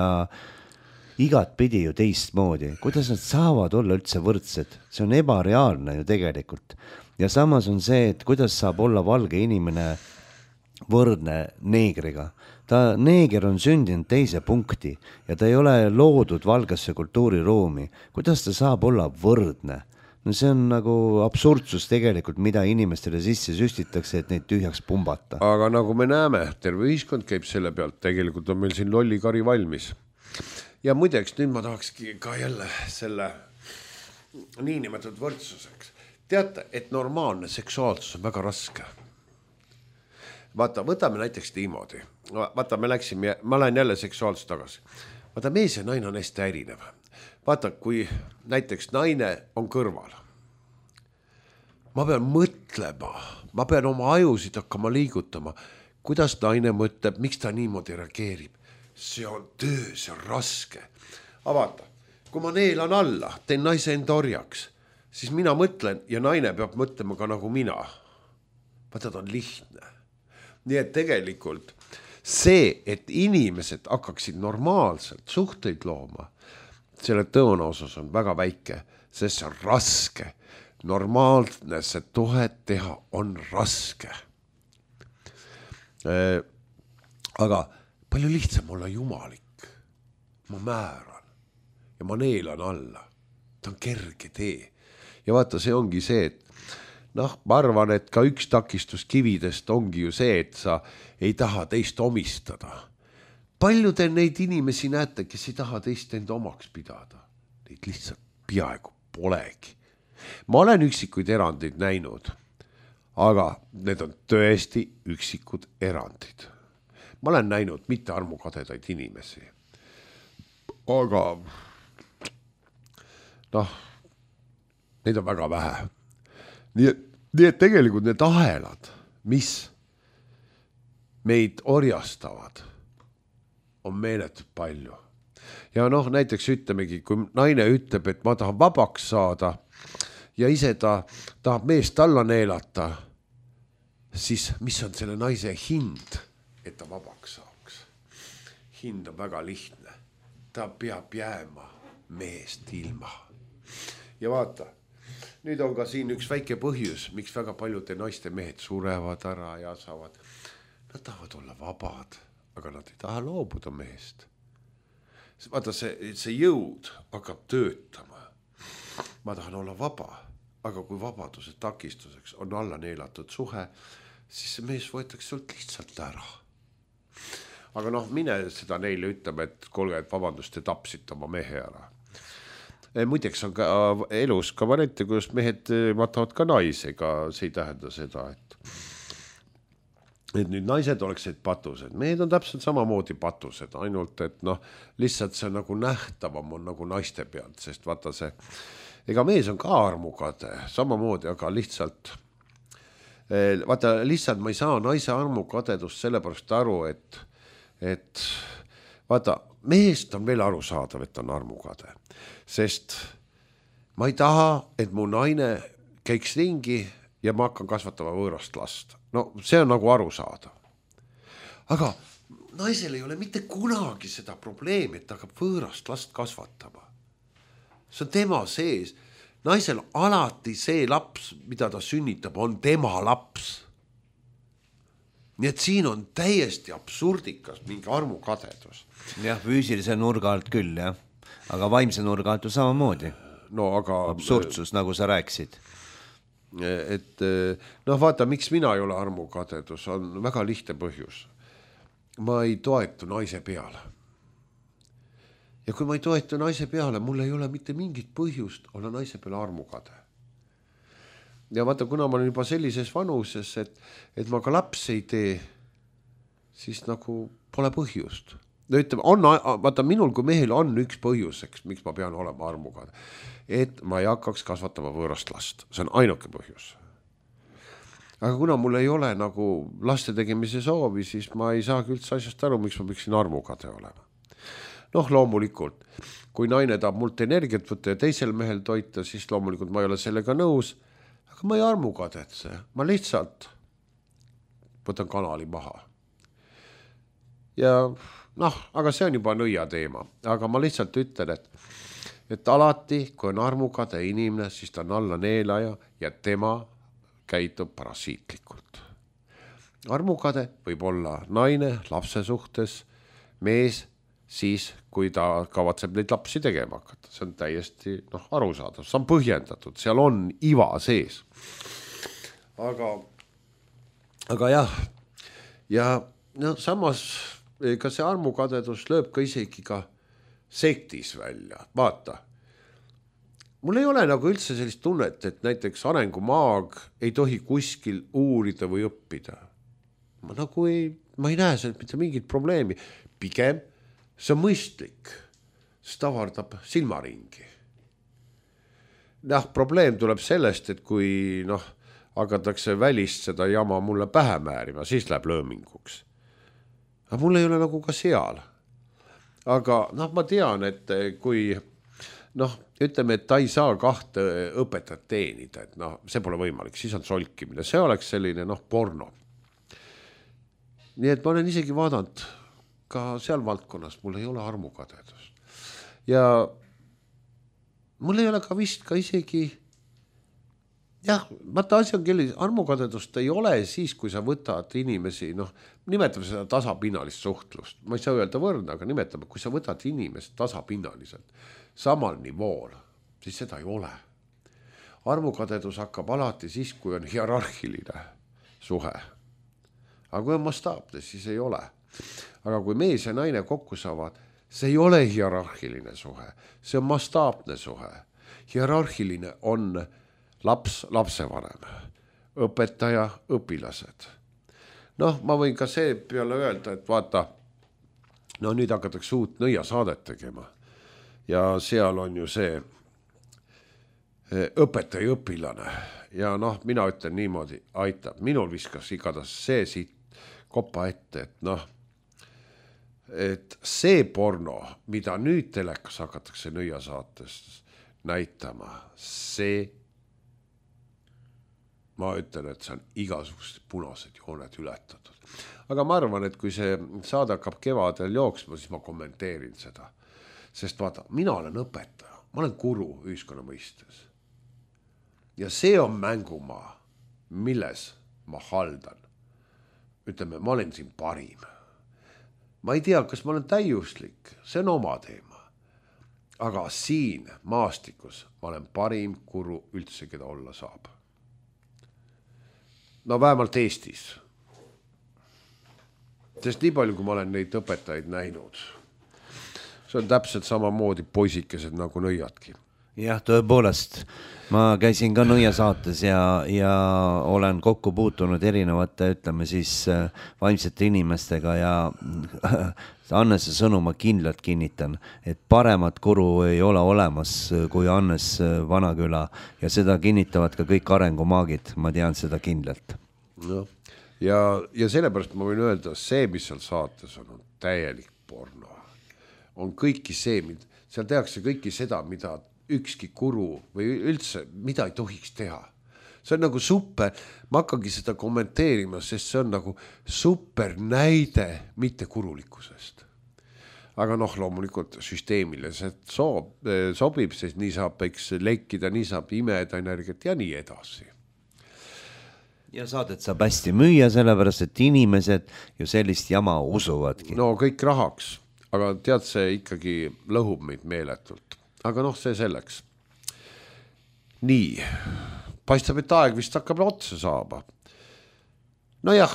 igat pidi ju teistmoodi. Kuidas nad saavad olla üldse võrdsed? See on ebareaalne ju tegelikult. Ja samas on see, et kuidas saab olla valge inimene võrdne neegriga. Neeger on sündinud teise punkti ja ta ei ole loodud valgesse kultuuriruumi. Kuidas ta saab olla võrdne? No see on nagu absurdsus tegelikult, mida inimestele sisse süstitakse, et neid tühjaks pumbata. Aga nagu me näeme, terve ühiskond käib selle pealt, tegelikult on meil siin lollikari valmis. Ja muideks, nüüd ma tahakski ka jälle selle niinimetatud võrdsuseks. Teate, et normaalne seksuaalsus on väga raske. Vaata, võtame näiteks niimoodi. Vaata, ma lähen jälle seksuaalselt tagasi. Vaata, mees ja naine on hästi erinev. Vaata, kui näiteks naine on kõrval. Ma pean mõtlema, ma pean oma ajusid hakkama liigutama. Kuidas naine mõtleb, miks ta niimoodi reageerib? See on töö, see on raske. Aga vaata, kui ma neelan alla, teen naise enda orjaks, siis mina mõtlen ja naine peab mõtlema ka nagu mina. Vaata, ta on lihtne. Nii et tegelikult see, et inimesed hakkaksid normaalselt suhteid looma, selle tõenäosus on väga väike, sest see on raske. Normaalne see tuhet teha on raske. Aga palju lihtsam olla jumalik. Ma määran ja ma neelan alla. Ta on kerge tee. Ja vaata, see ongi see, et ma arvan, et ka üks takistus kividest ongi ju see, et sa ei taha teist omistada. Palju te neid inimesi näete, kes ei taha teist enda omaks pidada? Neid lihtsalt peaaegu polegi. Ma olen üksikuid erandeid näinud, aga need on tõesti üksikud erandid. Ma olen näinud mitte armukadedaid inimesi. Aga neid on väga vähe. Nii et tegelikult need ahelad, mis meid orjastavad, on meeletult palju. ja noh, näiteks ütlemegi, kui naine ütleb, et ma tahan vabaks saada ja ise ta tahab meest alla neelata, siis mis on selle naise hind, et ta vabaks saaks? Hind on väga lihtne. Ta peab jääma meest ilma. Ja vaata, nüüd on ka siin üks väike põhjus, miks väga paljude naiste mehed surevad ära ja saavad. Nad tahavad olla vabad, aga nad ei taha loobuda mehest. Vaata, see jõud hakkab töötama. Ma tahan olla vaba, aga kui vabaduse takistuseks on alla neelatud suhe, siis see mees võetakse sult lihtsalt ära. Aga noh, mine seda neile ütleme, et kuulge, et vabandust, te tapsite oma mehe ära. Muideks on ka elus ka variante, kus mehed matavad ka naisega, see ei tähenda seda, et nüüd naised oleksid patused. Mehed on täpselt samamoodi patused, ainult et noh, lihtsalt see nagu nähtavam on nagu naiste pealt, sest vaata see, ega mees on ka armukade, samamoodi, aga lihtsalt ma ei saa naise armukadedust sellepärast aru, et vaata, mehest on veel arusaadav, et on armukade, sest ma ei taha, et mu naine käiks ringi ja ma hakkan kasvatama võõrast last. No see on nagu arusaadav. Aga naisel ei ole mitte kunagi seda probleemi, et ta hakkab võõrast last kasvatama. See on tema sees. Naisel alati see laps, mida ta sünnitab, on tema laps. Nii et siin on täiesti absurdikas mingi armukadedus. Jah, füüsilise nurga alt küll, jah. Aga vaimse nurga alt ju samamoodi. No, aga absurdsus, nagu sa rääkisid. Et noh, vaata, miks mina ei ole armukadedus, on väga lihtne põhjus. Ma ei toetu naise peale. Ja kui ma ei toetu naise peale, mul ei ole mitte mingit põhjust olla naise peale armukade. Ja vaata, kuna ma olen juba sellises vanuses, et ma ka laps ei tee, siis nagu pole põhjust. Vaata, minul kui mehel on üks põhjuseks, miks ma pean olema armukade, et ma ei hakkaks kasvatama võõrast last. See on ainuke põhjus. Aga kuna mul ei ole nagu laste tegemise soovi, siis ma ei saagi üldse asjast aru, miks ma peaksin armukade olema. Noh, loomulikult, kui naine tahab mult energiat võtta ja teisel mehel toita, siis loomulikult ma ei ole sellega nõus, aga ma ei armukadetse, ma lihtsalt võtan kanali maha. Ja noh, aga see on juba nõia teema, aga ma lihtsalt ütlen, et alati, kui on armukade inimene, siis ta on alla neelaja ja tema käitub parasiitlikult. Armukade võib olla naine lapse suhtes, mees, siis kui ta kavatseb neid lapsi tegema hakata. See on täiesti arusaadav, see on põhjendatud, seal on iva sees. Aga jah, ja no, samas ka see armukadedus lööb ka isegi ka sektis välja. Vaata, mul ei ole nagu üldse sellist tunnet, et näiteks arengumaag ei tohi kuskil uurida või õppida. Ma ei näe sealt mitte mingit probleemi. Pigem see on mõistlik, see tavardab silmaringi. Probleem tuleb sellest, et kui hakatakse välist seda jama mulle pähe määrima, siis läheb lööminguks. Aga mul ei ole nagu ka seal. Aga ma tean, et kui ütleme, et ta ei saa 2 õpetajat teenida, et see pole võimalik, siis on solkimine. See oleks selline porno. Nii et ma olen isegi vaadanud ka seal valdkonnas, mul ei ole armukadedust. Ja mul ei ole ka vist ka isegi, vaata asi on kellis, armukadedust ei ole siis, kui sa võtad inimesi, nimetame seda tasapinnalist suhtlust. Ma ei saa öelda võrdne, aga nimetame, kui sa võtad inimest tasapinnaliselt samal nivool, siis seda ei ole. Armukadedus hakkab alati siis, kui on hierarhiline suhe. Aga kui on mastaapne, siis ei ole. Aga kui mees ja naine kokku saavad, see ei ole hierarhiline suhe, see on mastaapne suhe. Hierarhiline on laps, lapsevanem, õpetaja, õpilased. Ma võin ka see peale öelda, et vaata, nüüd hakatakse uut nõiasaadet tegema ja seal on ju see õpetaja õpilane ja mina ütlen niimoodi, aitab, minul viskas igatahes see siit kopa ette, et et see porno, mida nüüd telekas hakatakse nõiasaates näitama, see, ma ütlen, et see on igasugused punased jooned ületatud. Aga ma arvan, et kui see saade hakkab kevadel jooksma, siis ma kommenteerin seda. Sest vaata, mina olen õpetaja, ma olen guru ühiskonna mõistes. Ja see on mängumaa, milles ma haldan. Ütleme, ma olen siin parim. Ma ei tea, kas ma olen täiuslik, see on oma teema. Aga siin maastikus ma olen parim guru üldse, keda olla saab. No vähemalt Eestis. Sest nii palju, kui ma olen neid õpetajaid näinud, see on täpselt samamoodi poisikesed nagu nõiadki. Jah, tõepoolest. Ma käisin ka nõiasaates ja olen kokku puutunud erinevate, ütleme siis, vaimsete inimestega ja Annese sõnu ma kindlalt kinnitan, et paremat guru ei ole olemas kui Annes Vanaküla ja seda kinnitavad ka kõik arengumaagid, ma tean seda kindlalt. No. Ja sellepärast ma võin öelda, see, mis seal saates on täielik porno. On kõiki see, seal tehakse kõiki seda, mida ükski guru või üldse, mida ei tohiks teha. See on nagu super, ma hakkangi seda kommenteerima, sest see on nagu super näide mitte gurulikkusest. Aga loomulikult süsteemile see sobib, sest nii saab lekkida, nii saab imeda energiat ja nii edasi. Ja saadet saab hästi müüa, sellepärast, et inimesed ju sellist jama usuvadki. No kõik rahaks, aga tead, see ikkagi lõhub meid meeletult. Aga see selleks. Nii, paistab, et aeg vist hakkab otsa saaba. No jah,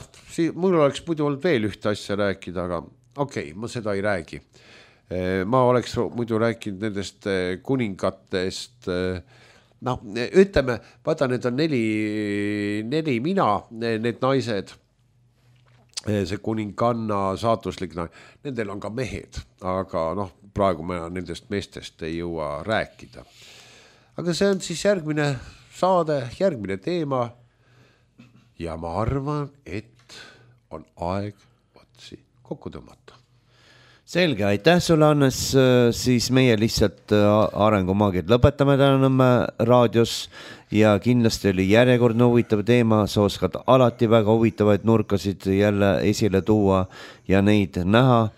mul oleks muidu olnud veel ühte asja rääkida, aga okei, ma seda ei räägi. Ma oleks muidu rääkinud nendest kuningatest. Ütleme, vaata, need on neli mina, need naised, see kuninganna saatuslik, nendel on ka mehed, aga praegu me nendest meestest ei jõua rääkida. Aga see on siis järgmine saade, järgmine teema ja ma arvan, et on aeg otsi kokku tõmmata. Selge, aitäh sulle, Annes, siis meie lihtsalt arengumaagid lõpetame täna Nõmme raadios ja kindlasti oli järjekordne huvitav teema, sa oskad alati väga huvitavaid nurkasid jälle esile tuua ja neid näha.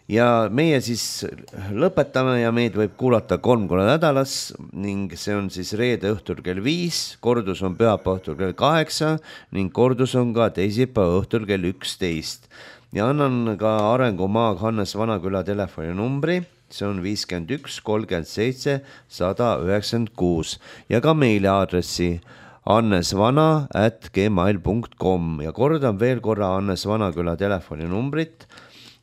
Ja meie siis lõpetame ja meid võib kuulata 3 korda nädalas ning see on siis reede õhtul kell 5, kordus on pühapäeva õhtul kell 8 ning kordus on ka teisipäeva õhtul kell 11. Ja annan ka arengumaag Hannes Vanaküla telefoninumbri, see on 51 37 196 ja ka meiliaadressi annesvana@gmail.com ja kordan veel korra Hannes Vanaküla telefoninumbrit,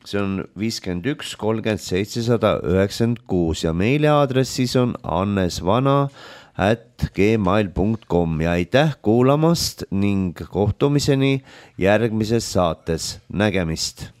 see on 51 37 196 ja meiliaadress siis on annesvana@gmail.com ja aitäh kuulamast ning kohtumiseni järgmises saates. Nägemist!